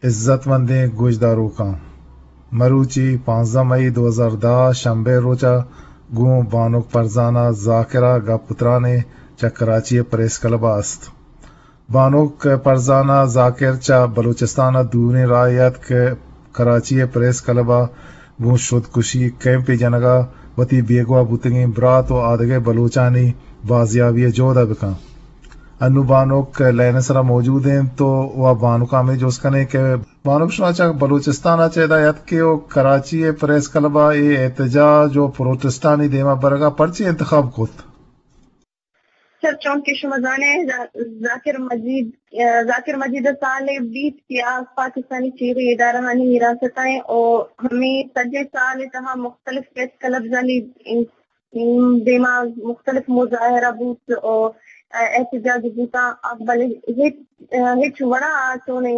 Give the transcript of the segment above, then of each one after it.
عزت مندیں گوشداروکاں، مروچی پانزدہ مئی دو ہزار دہ شنبے روچا گوں بانک فرزانہ ذاکرہ گپ ترانے چہ کراچی پریس کلب است۔ بانک فرزانہ ذاکر چہ بلوچستان دوریں راہ ات کہ کراچی پریس کلب گوں شدکشی کیمپے جنگا وتی بیگواہ بوتگیں برات و آدگہ بلوچانی بازیابی جہد بکن۔ انو بانک لائن سرا موجود انت تو وا بانک ہمیں جست کنیں کہ بانک شما چہ بلوچستان چہ ادا اتکے و کراچی پریس کلب اے احتجاج و پروٹسٹانی دیما برگا پرچی انتخاب کت؟ سر، چون کہ شما زانے، ذا-، ذاکر مجید، ذاکر مجید سال بیت کہ آ پاکستانی چیغی ادارہانی حراست ء او ہمیں سجے سال تہا مختلف پریس کلبزانی دیما مختلف مظاہرہ بوت و احتجاج بوتاں، بلے ہچ، ہچ وڑا آ چونیں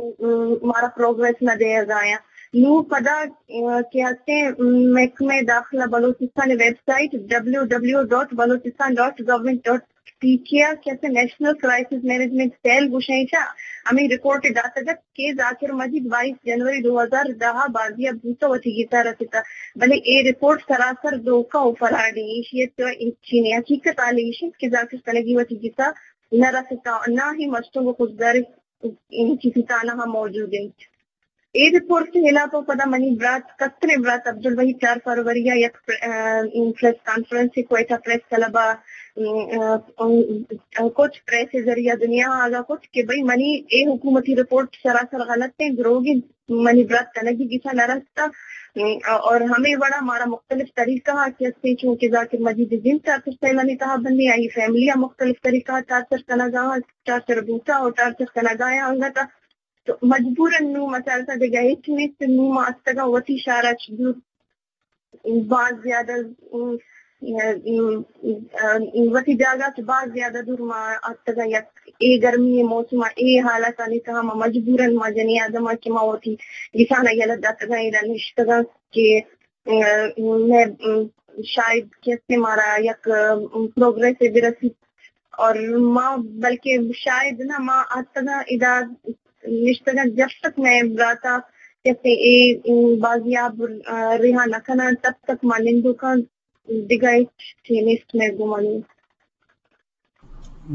مارا پروگریس نہ دیگا آیاں۔ نوں پدا کہ ہستیں محکمہ داخلہ بلوچستان ویب سائٹ ڈبلیو ڈبلیو ڈاٹ بلوچستان ڈاٹ گورنمنٹ ڈاٹ پی کے ء کہ اسے نیشنل کرائسس مینجمنٹ سیل گوشیں چا ہمیں رپورٹ داتگ ات کہ ذاکر مجید بائیس جنوری دو ہزار دہ ء بازیاب بوت ء وتی گسا رسیت، بلے اے رپورٹ سراسر دھوکہ و فراڈ ایں۔ ایشی ء تو انچیں حقیقت حال ایش انت کہ ذاکر کنگی وتی گسا نہ رسیت ء نہ ہی مستونگ و خضدار کسی تانہ موجود انت۔ اے رپورٹ ء ہلاپ ء پدا منی برات، کستریں برات عبدالوحید چار فروری ء یک پر-، ا، پریس کانفرنس ء کوئٹہ پریس کلب ء، م، ا، کت، پریس ء ذریعہ دنیا ء آگاہ کت کہ بھئی منی اے حکومتی رپورٹ سراسر غلط انت، دروگ انت، منی برات کنگی گسا نہ رستہ، م، اور ہمے وڑا مارا مختلف طریقہ ء کہ استیں چونکہ ذاکر مجید ء جند ٹارچر سیلانی تہا بندیں، آئی فیملی ء مختلف طریقہ ء ٹارچر کنگا، ٹارچر بوتا اور ٹارچر کنگا انگت تو مجبوراً نوں ما چارتہ دگہ ہچ نیست، نوں ما اتکگاں وتی شہر ء چہ دور باز زیادہ، ام، ام، ام، وتی جاگہ چہ باز زیادہ دور ما اتکگاں۔ یک اے گرمی ء موسم ء اے حالاتانی تہا ما مجبوراً ما جنی آدم ء کہ ما وتی گسان ء یلہ داتگاں، ادا نشتگاں کہ، ام، مئے، ام، شاید کسے مارا یک، ام، پروگریس ء برسیت۔ اور ما بلکہ شاید نہ ما اتکگاں ادا نشتگاں، جب تک مئے براتا کسے اے، ام، بازیاب، آ، رہا نہ کناں، تب تک ما نندوکاں، دگہ ہچ چی نیست مئے گوما نوں۔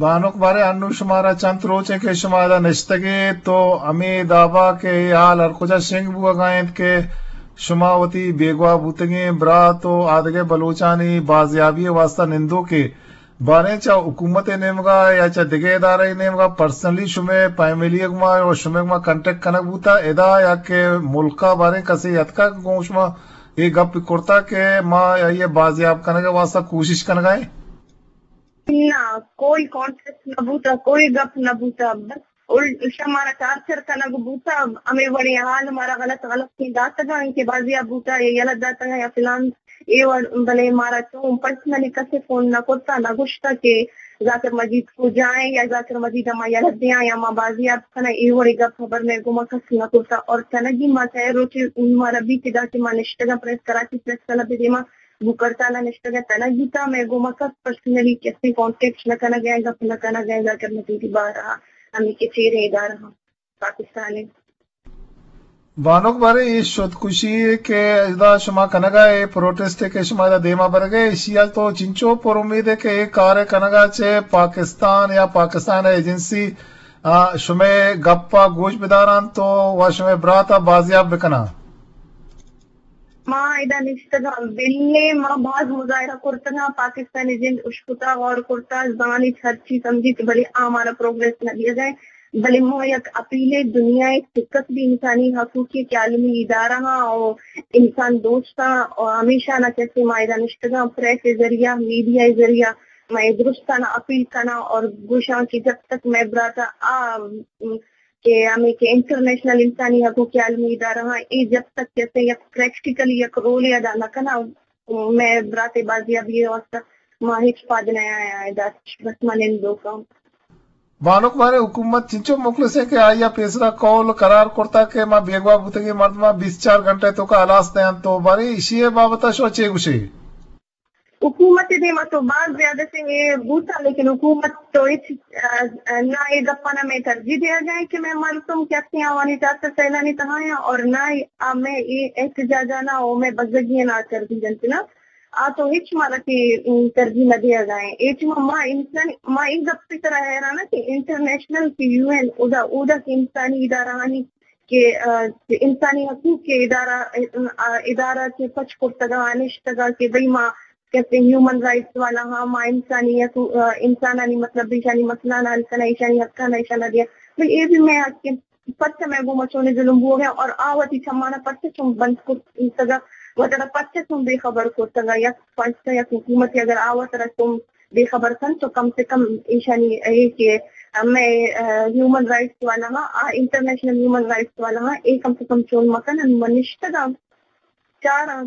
بانک بارے انو شمارا چنت روچیں کہ شما ادا نشتگے تو ہمے دابا کہ اے حال ہر کجا شنگ بوگا انت کہ شما وتی بیگواہ بوتگیں برات و آدگہ بلوچانی بازیابی واسطہ نندوکے باریں چہ حکومت ء نیمگا یا چہ دگہ ادارہ ء نیمگا پرسنلی شمئے فیملی ء گما و شمئے گما کانٹیکٹ کنگ بوتا ادا یا کہ ملکا باریں کسے اتکا گوں شما اے گپ کرتا کہ ما آئی ء بازیاب کنگ ء واسطہ کوشش کنگا ایں؟ نہ، کوئی کانٹیکٹ نہ بوتا، کوئی گپ نہ بوتا، بس الٹا مارا ٹارچر کنگ بوتا، ہمے وڑیں حال مارا غلط غلط داتگاں کہ بازیاب بوتا یا یلہ داتگاں یا فلان اے وڑ، بلے مارا چون پرسنلی کسے فون نہ کرتا، نہ گوشتا کہ ذاکر مجید کجا ایں یا ذاکر مجید ء ما یلہ دیاں یا ما بازیاب کناں، اے وڑیں گپ ہبر مئے گوما کس نہ کرتا۔ اور تنگی ما سئے روچے مارا بیت ادا کہ ما نشتگاں پریس، کراچی پریس کلب ء دیما بوکرتالا نشتگ ء تنگی تا، مئے گوما کس پرسنلی کسے کانٹیکٹ نہ کنگ ء، گپ نہ کنگ ء، ذاکر مجیدی بارہ ء ہمے کہ چیریں ادارہ ہم پاکستان ء۔ بانک بارے اے شدکشی کہ ادا شما کنگا اے پروٹسٹ کہ شما ادا دیما برگے، ایشی ء تو چنچو پر امید ہے کہ اے کار کنگا چہ پاکستان یا پاکستان ایجنسی، آ، شمئے گپا گوش بداران تو و شمئے براتا بازیاب بکناں؟ ما ادا نشتگاں، بلے ما باز مظاہرہ کرتگاں، پاکستانی جند اشکتا، غور کرتا، زانیت، ہرچی سمجھیت، بلے آ مارا پروگریس نہ دیگا۔ بلے ما یک اپیلے دنیا ء چکس بھی انسانی حقوقی کہ عالمی ادارہ ہاں او انسان دوستاں او ہمیشہ نہ کسے ما ادا نشتگاں، پریس ء ذریعہ، میڈیا ء ذریعہ ما اے درستاں اپیل کناں اور گوشاں کہ جب تک مئے براتا آ کہ ہمے کہ انٹرنیشنل انسانی حقوق عالمی ادارہ ہاں، اے جب تک کسے یک پریکٹیکلی یک رولے ادا نہ کناں، مئے براتے بازیابی واسطہ ما ہچ پاد نہ آیاں ادا، بس ما نندوکاں۔ بانک بارے حکومت چنچو مخلص ہے کہ آئی ء پیسرا قول قرار کرتا کہ ما بیگواہ بوتگیں مردماں بیست چار گھنٹہ توکا ہلاس دیاں، تو بارے ایشی ء بابت ء شما چے گوشے؟ حکومت ءِ دیما تو باز زیادہ سے اے بوتا، لیکن حکومت تو ہچ، آ، آ، نہ اے گپانا مئے ترجیح دیگا ایں کہ مئے مردم کہ ہستیں آوانی چار سد سیلانی تہا ایں اور نہ آ مئے اے احتجاجانا او مئے بزگیانا ترجیح دنت نا۔ آ تو ہچ مارا کہ، ام، ترجیح نہ دیگا ایں۔ اے چما ما انسان، ما اے گپ ءِ سرا حیران آں کہ انٹرنیشنل کہ یو این، اودا، اودا کہ انسانی ادارہ آنی کہ، آ، انسانی حقوق کے ادارہ، آ، ادارہ کے پچ کرتگا، نشتگا کہ بھئی ما کہتے ہیں ہیومن رائٹس والا ہاں، ما انسانی حقوق، آ، انسانانی مطلب ایشانی مسئلہ نہ حل کنا، ایشانی حقانا ایشانا دیا۔ بھئی اے بھی مئے حق ایں، پرچہ مئے گوما چونے ظلم بوگا ایں اور آ وتی چمانا پرچہ چون بند کرتگا، وترا پرچہ چون بے خبر کرتگا، یک پرچہ یک حکومت اگر آ وترا چون بے خبر کنت تو کم سے کم ایشانی اے کہ مئے، آ، ہیومن رائٹس والا ہاں، آ، انٹرنیشنل ہیومن رائٹس والا ہاں، اے کم سے کم چون مکنن، من نشتگاں چاراں۔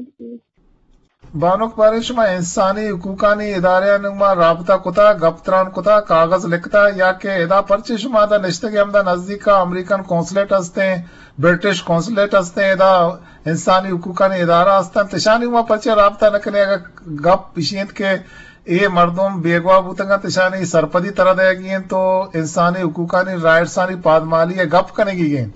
بانک باریں، شما انسانی حقوقانی ادارہانی گوما رابطہ کتا، گپ تران کتا، کاغذ لکھتا، یا کہ ادا پرچے شما دا نشتگے ہمدا نزدیکا امریکن قونصلیٹ ہستیں، برٹش قونصلیٹ ہستیں، ادا انسانی حقوقانی ادارہ ہستن، تشانی گوما پرچے رابطہ نہ کنے؟ اگہ گپ اشی انت کہ اے مردم بیگواہ بوتگ انت، اشانی سرپدی ترا دئیگی انت، تو انسانی حقوقانی رائٹسانی پادمالی ء گپ کنگی انت۔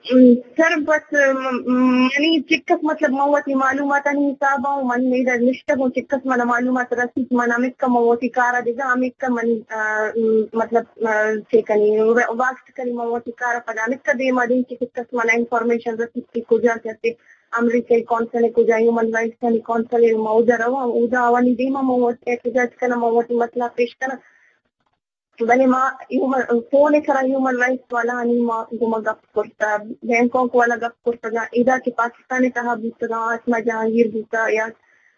ام، سر، بس، م-، م-، منی چکس مطلب من وتی معلوماتانی حساب ء من ادا نشتگ اوں، چکس منا معلومات رسیت، من ہمکہ من وتی کار ء دگہ ہمکہ منی، آ، م-، مطلب، آ، چے کنی، وا-، واست کنی من وتی کار ء پدا ہمکہ دیما دیں کہ چکس منا انفارمیشن رسیت کہ کجا کسے امریکہ ء کونسل ء کجا، ہیومن رائٹس آنی کونسل ء ما اودا رواں، اودا آوانی دیما ما وتی احتجاج کناں، ما وتی مسئلہ پیش کناں۔ بلے ما ہیومن، فون ء سرا ہیومن رائٹس والا آنی ما گوما گپ کرتا، بینکاک والا گپ کرتگا، ادا کہ پاکستان ء تہا بوتگا، آسما جہانگیر بوتا یا،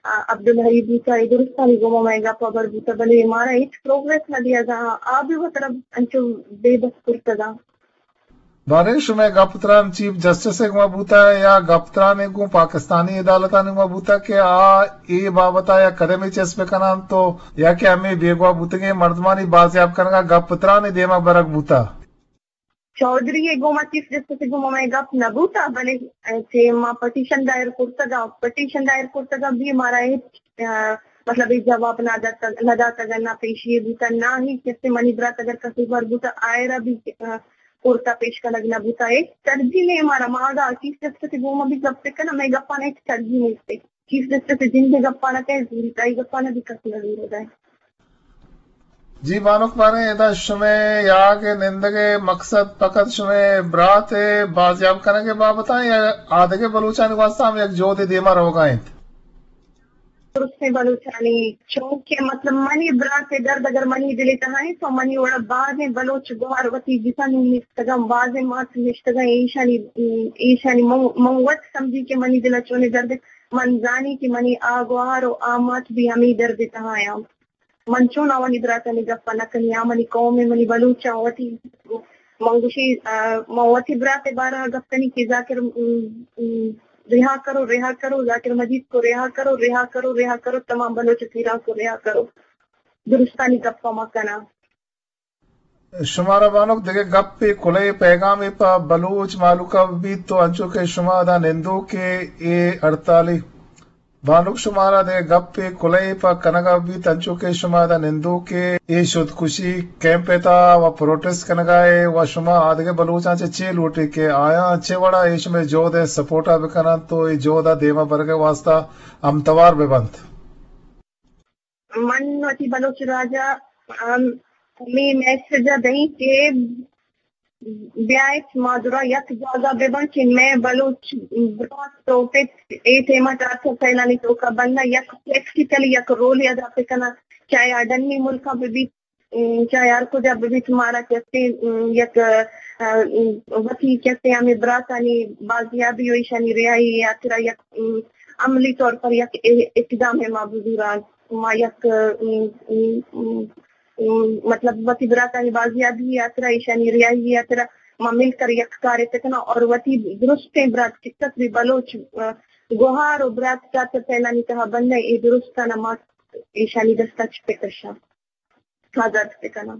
آ، عبدالحی بوتا، اے درستانی گوما مئے گپ ہبر بوتا، بلے مارا ہچ پروگریس نہ دیگا، آ بھی وترا انچو بے بس کرتگا۔ باریں شمئے گپ تران چیف جسٹس ء گوما بوتہ یا گپ تران ء گوں پاکستانی عدالتانی گوما بوتہ کہ آ اے بابت ء یک قدمے چست بہ کن انت و یا کہ ہمے بیگواہ بوتگیں مردمانی بازیاب کنگ ء گپ تران ء دیما برگ بوتہ؟ چوہدری ء گوما، چیف جسٹس ء گوما مئے گپ نہ بوتہ، بلے چہ ما پٹیشن دائر کرتگ ء، پٹیشن دائر کرتگ ء بھی مارا ہچ، آ، مطلب، ہچ جواب نہ داتگ، نہ داتگ ء نہ پیشی بوتہ، نہ ہی کسے منی برات اگر قصوروار بوتہ آئرا بھی، آ، کورٹ ء پیش کنگ نہ بوتہ۔ اے ترجیح نے مارا، ما اگاں چیف جسٹس ء گوما بھی گپ بہ کناں، مئے گپاں ہچ ترجیح نیست۔ چیف جسٹس ء جند ء گپاں نہ کئے زوریت، آئی گپاں نہ بھی کس نہ زورگ ء۔ جی بانک باریں، ادا شمئے یاگ ء نندگ ء مقصد فقط شمئے برات ء بازیاب کنگ ء بابت ء یا آدگہ بلوچانی واستہ ہم یک جہدے دیما روگا انت؟ درستیں بلوچانی، چونکہ مطلب منی برات ء درد اگر منی دل ء تہا انت تو منی وڑا بازیں بلوچ گوہار وتی جسم نشتگاں، بازیں مات نشتگاں، ایشانی، ایشانی من، من وت سمجھی کہ منی دل ء چونیں درد، من زانی کہ منی آ گوہار و آ مات بھی ہمے درد ء تہا آں۔ من چون آوانی براتانی گپ ء نہ کنی، آ منی قوم ء، منی بلوچ ء وتی۔ من گوشی، آ، من وتی برات ء بارہ ء گپ کنی کہ ذاکر، م، م، رہا کرو، رہا کرو، ذاکر مجید کو رہا کرو، رہا کرو، رہا کرو، تمام بلوچ اسیراں کو رہا کرو۔ درستانی گپ ء ما کناں۔ شمارا بانک دگہ گپے، کلہے پیغامے پہ بلوچ مہلوک ء بیت تو انچو کہ شما ادا نندوکے اے ہڑتالی بانک شمارا دگہ گپے کلہے پہ کنگ ء بیت، انچو کہ شما ادا نندوکے اے شدکشی کیمپ ء تہا و پروٹسٹ کنگ ء اے و شما آدگہ بلوچاں چہ چے لوٹے کہ آیاں چے وڑا اے شمئے جہد ء سپورٹ ء بہ کننت و اے جہد ء دیما برگ ء واستہ ہمتوار بہ بنت؟ من وتی بلوچ راج ء، ام، ہمے میسج ء دئیں کہ بیایت ما درا یک جاگہ بہ بن کہ مئے بلوچ برات و پت اے ٹائم ء ٹارچر سیلانی توکا بنداں، یک پریکٹیکلی یک رولے ادا بہ کناں، چاہے آ ڈنی ملکاں بہ بیت، ام، چاہے ہر کجا بہ بیت، مارا کسے، ام، یک، ا، ام، وتی کسے ہمے براتانی بازیابی و ایشانی رہائی ء ہاترا یک، ام، عملی طور پر یک ا-، اقدام ء ما بزوراں۔ ما یک، ام، ام، ام، ام، مطلب وتی براتانی بازیابی ء ہاترا، ایشانی رہائی ء ہاترا ما مل کر یک کارے بکناں اور وتی درستیں برات چکس بھی بلوچ، ا، گوہار و برات چارسد سیلانی تہا بندیں اے درستانا ما ایشانی دستا چہ بکشاں، آزاد بکناں۔